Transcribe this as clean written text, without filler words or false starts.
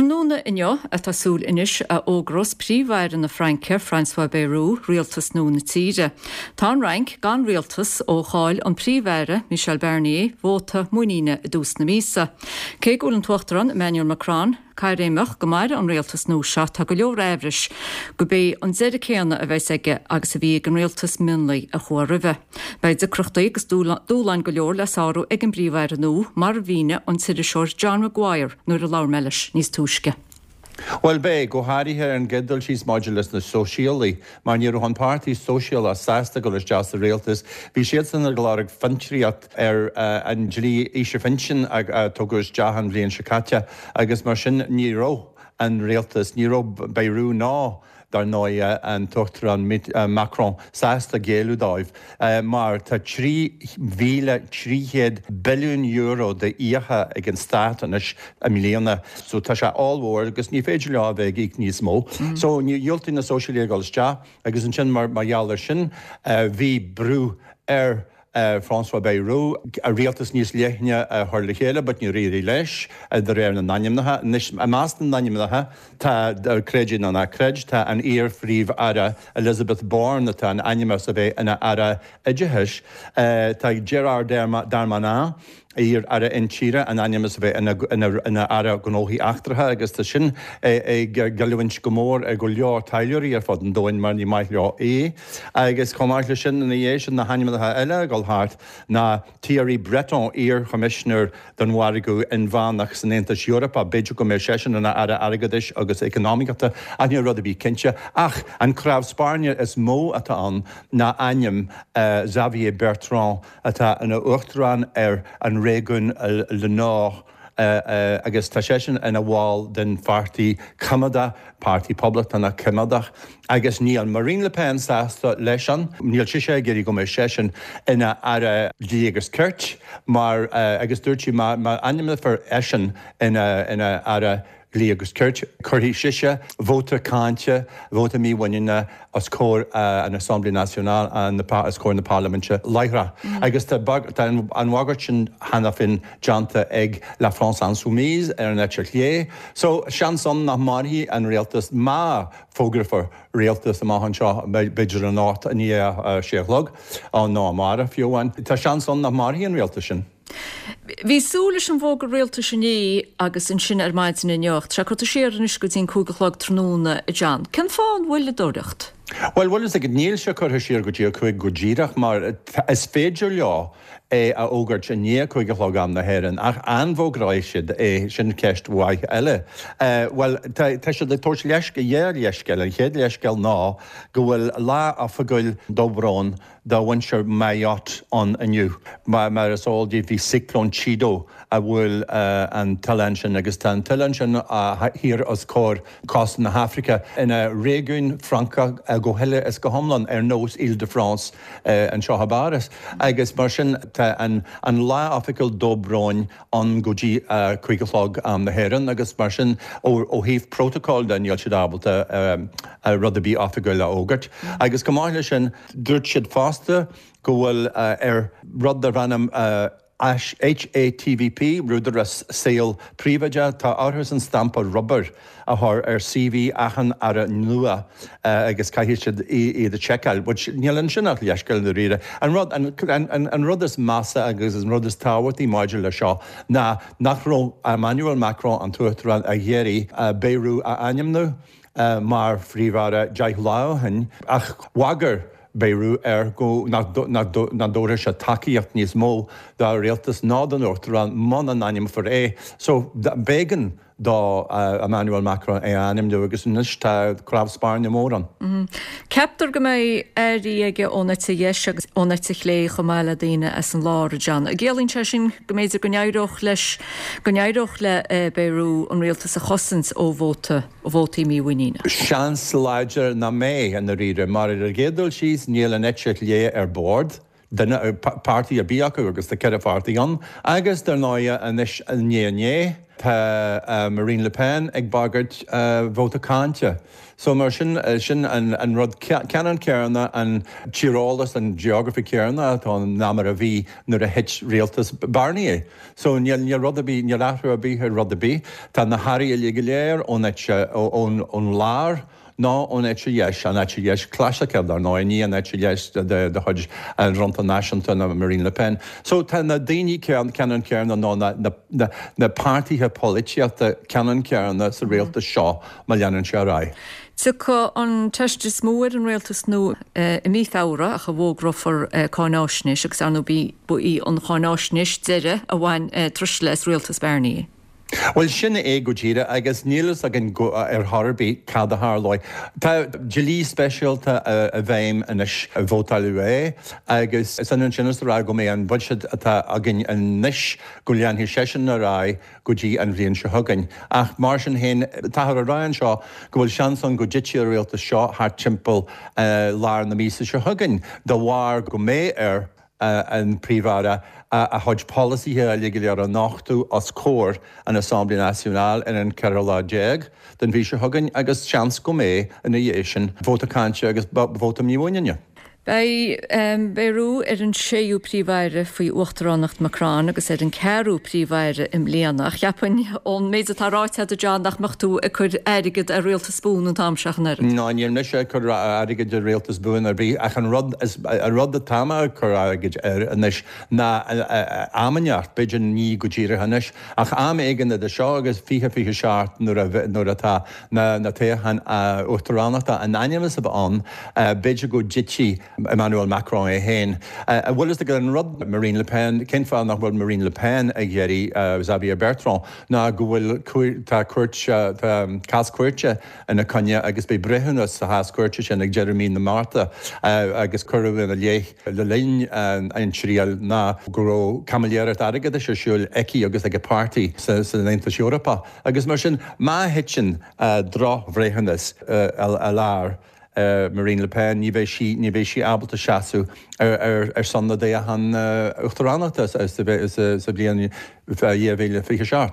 Tráthnóna inniu atá súil anois a fhógrós Príomh-Aire na Fraince, François Bayrou, rialtas nua na tíre. Tá an Fhrainc gan rialtas ó chaill an Príomh-Aire, Michel Barnier, vóta muiníne i dtús na míosa. Cé go bhfuil an tUachtarán, Emmanuel Macron, caithréimeach go mairfidh an rialtas nua seo, tá go leor aimhris go b'é an deireadh céanna a bheas aige agus a bhí ag an rialtas mionlaigh a chuaigh roimhe. Beidh deacrachtaí agus dúshláin go leor le sárú ag an bPríomh-Aire nua, mar a mhínigh an t-iriseoir John Maguire nuair a labhair mé leis níos túisce. Bhuel, beidh, go háirithe ar an gcéad dul síos maidir leis na Sóisialaigh, mar ní raibh an Páirtí Sóisialach sásta dul isteach sa rialtas. Bhí siadsan ag lorg fiontraíocht ar an dlí aoise phinsin a tugadh isteach an bhliain seo caite agus mar sin ní raibh an rialtas, ní raibh Bayrou ná dar ndóigh, an tUachtarán Macron sásta géilleadh dóibh mar tá €3,300 billiún d'fhiacha ag an stát anois i mbliana so tá sé ollmhór agus ní féidir leo a bheith ag íoc níos mó. So dhiúltaigh na Sóisialaigh a dhul isteach agus ansin mar gheall air sin bhí brú ar François Bayrou rialtas níos leithne a chur le chéile but níor éirigh leis, de réir na n-ainmneacha. Anois, i measc na n-ainmneacha tá, creid é nó ná creid, tá an iar-Phríomh-Aire Elisabeth Borne atá ainmnithe as a bheith ina Aire Oideachais, tá Gérard Darmanin, iar-Aire Intíre, ainmnithe as a bheith ina Aire Gnóthaí Eachtracha agus tá sin ag goilliúint go mór ar go leor taidhleoirí ar fud an domhain mar ní maith leo é. Agus chomh maith leis sin, ina dhiaidh sin, na hainmneacha eile ag dul thart ná Thierry Breton, iar-Choimisinéir don Mhargadh Inmheánach san Aontas Eorpach, b'fhéidir go mbeidh seisean ina Aire Airgeadais agus Eacnamaíochta ach níl rud ar bith cinnte. Ach an cnámh spairne is mó atá ann ná ainm Xavier Bertrand, atá ina uachtarán ar an réigiún Le Nord agus tá seisean ina bhall den pháirtí coimeádach, Páirtí Poblachtánach Coimeádach, agus níl Marine Le Pen sásta leis an, níl sise ag iarraidh go mbeidh seisean ina Aire Dlí agus Cirt mar, agus dúirt sí má ainmneofar eisean ina Aire Dlí agus Cirt, cuirfidh sise vóta cáinte, vóta mímhuiníne os comhair an Assemblée Nationale, os comhair na Parlaiminte láithreach. Agus tá an bhagairt sin cheana féin déanta ag La France Insoumise ar an eite chlé. So, seans ann nach mairfidh an rialtas má fógrófar rialtas amach anseo, b'fhéidir anocht i ndiaidh a sé a chlog, nó amárach fiú amháin. Tá seans ann nach mairfidh an rialtas sin. Bhí súil leis an bhfógra rialtais inné agus ansin ar maidin inniu ach tá sé curtha siar anois go dtí an 5 a chlog tráthnóna, a John. Cén fáth an mhoilleadóireacht? Bhuel, bhfuil fhios agat, níl sé curtha siar go dtí a 5 go díreach mar is féidir leo é a fhógairt i ndiaidh a 5 a chlog am na hÉireann ach an bhfógróidh siad é, sin ceist mhaith eile. Bhuel, tá siad ag tabhairt leithscéal, dhá leithscéal. An chéad leithscéal ná go bhfuil lá oifigiúil dobróin do mhuintir Mayotte ann inniu. Mar is eol daoibh bhí Cioclón Chido a bhuail an t-oileán sin agus tá an t-oileán sin thiar os comhair cósta na hAfraice ina réigiún Francach go huile is go hiomlán ar nós Ile de France anseo i bPáras agus mar sin tá an lá oifigiúil dobróin ann go dtí a 5 a chlog am na hÉireann agus mar sin ó thaobh prótocóil de níl siad ábalta rud ar bith oifigiúil a fhógairt. Agus chomh maith leis sin dúirt siad fosta go bhfuil ar rud darb ainm HATVP, Údarás Saoil Príobháideach, tá orthusan stampa rubair a chur ar CV achan aire nua agus caithfidh siad iad a sheiceáil, which níl ansin ach leithscéal i ndáiríre. An rud, an rud is measa agus an rud is tábhachtaí maidir le seo ná nach raibh Emmanuel Macron, an tUachtarán, ag iarraidh Bayrou a ainmniú mar Phríomh-Aire 10 lá ó shin ach bhagair Bayrou air go nach dtabharfadh sé tacaíocht níos mó dá rialtas ná don Uachtarán muna n-ainmneofar é. So b'éigean do Emmanuel Macron é a ainmniú agus anois tá cnámh spairne mór ann. Ceaptar go mbeidh airí aige ón eite dheis agus ón eite chlé chomh maith le daoine as an lár, a John. An gciallaíonn sé sin go mb'fhéidir go n-éireodh leis, go n-éireodh le Bayrou an rialtas a chosaint ó vóta, vótaí mímhuiníne? Seans láidir nach mbeidh, i ndáiríre, mar ar an gcéad dul síos níl an eite chlé ar bord. duine, páirtí ar bith acu agus tá 4 pháirtí ann agus dar ndóighe anois i ndiaidh inné. Tá Marine Le Pen ag bagairt vóta cáinte. So mar sin, sin an rud ceannann céanna, an tíreolas, an geography céanna atá ann ná mar a bhí nuair a thit rialtas Barnier. So níl, níl rud ar bith, níl athrú ar bith ar rud ar bith. Tá na hairí uilig go léir ón eite, ón, ón lár ná ón eite dheis, an eite dheis chlasaiceach dar ndóigh, ní an eite dheis de chuid an Fhronta Náisiúnta ná Marine Le Pen. So tá na daoine ceannann céanna nó na, na, na páirtithe polaitíochta ceannann céanna sa rialtas seo má leanann sé ar aghaidh. Tiocfaidh an teist is mó ar an rialtas nua i mí Feabhra ach a bhfógrófar cáináisnéis agus ar ndóigh ba í an cháináisnéis deiridh a bhain truisle as rialtas Barnier. Bhuel, sin é go díreach agus níl fhios againn ar chor ar bith cad a tharlóidh. Tá dlí speisialta i bhfeidhm anois, vótáileadh é agus is ionann sin is a rá go mbeidh an buiséad atá againn anois, go leanfaidh seisean ar aghaidh go dtí an bhliain seo chugainn. Ach mar sin féin, táthar ag rá anseo go bhfuil seans ann go dtitfidh an rialtas seo thart timpeall lár na míosa seo chugainn de bharr go mbeidh ar an Príomh-Aire a chuid polasaithe uilig go léir a nochtadh os comhair an Assemblée Nationale ar an 14 lá den mhí seo chugainn agus seans go mbeidh, ina dhiaidh sin, vóta cáinte agus vóta mímhuiníne. Beidh Bayrou ar an séú Príomh-Aire faoi uachtaránacht Macron agus ar an ceathrú Príomh-Aire i mbliana. Ach cheapfainn, ón méid atá ráite agat, a John, nach mbeadh tú ag cur airgead ar rialtas buan an t-am seo ach an oiread. Ná níl mise ag cur airgid ar rialtas buan ar bith ach an rud is, an rud atá mé ag cur airgid air anois ná am inteacht, b'fhéidir ní go díreach anois ach am éigin idir seo agus 2027 nuair a, nuair atá na, na toghcháin uachtaránachta in ainm is a bheith ann, b'fhéidir go dtitfidh Emmanuel Macron é féin. An bhfuil fhios agat an rud, Marine Le Pen, cén fáth nach bhfuil Marine Le Pen ag iarraidh Xavier Bertrand ná go bhfuil, tá cúirt, tá cás cúirte ina coinne agus beidh breithiúnas sa chás cúirte sin ag deireadh mí na Márta agus cuireadh ina leith le linn an triail ná go raibh caimiléireacht airgeadais ar siúl aici agus ag a páirtí san Aontas Eorpach agus mar sin má thiteann drochbhreithiúnas i lár Marine Le Pen ní bheidh sí, ní bheidh sí ábalta seasamh ar son na dtoghchán uachtaránachta sa bhliain 2027.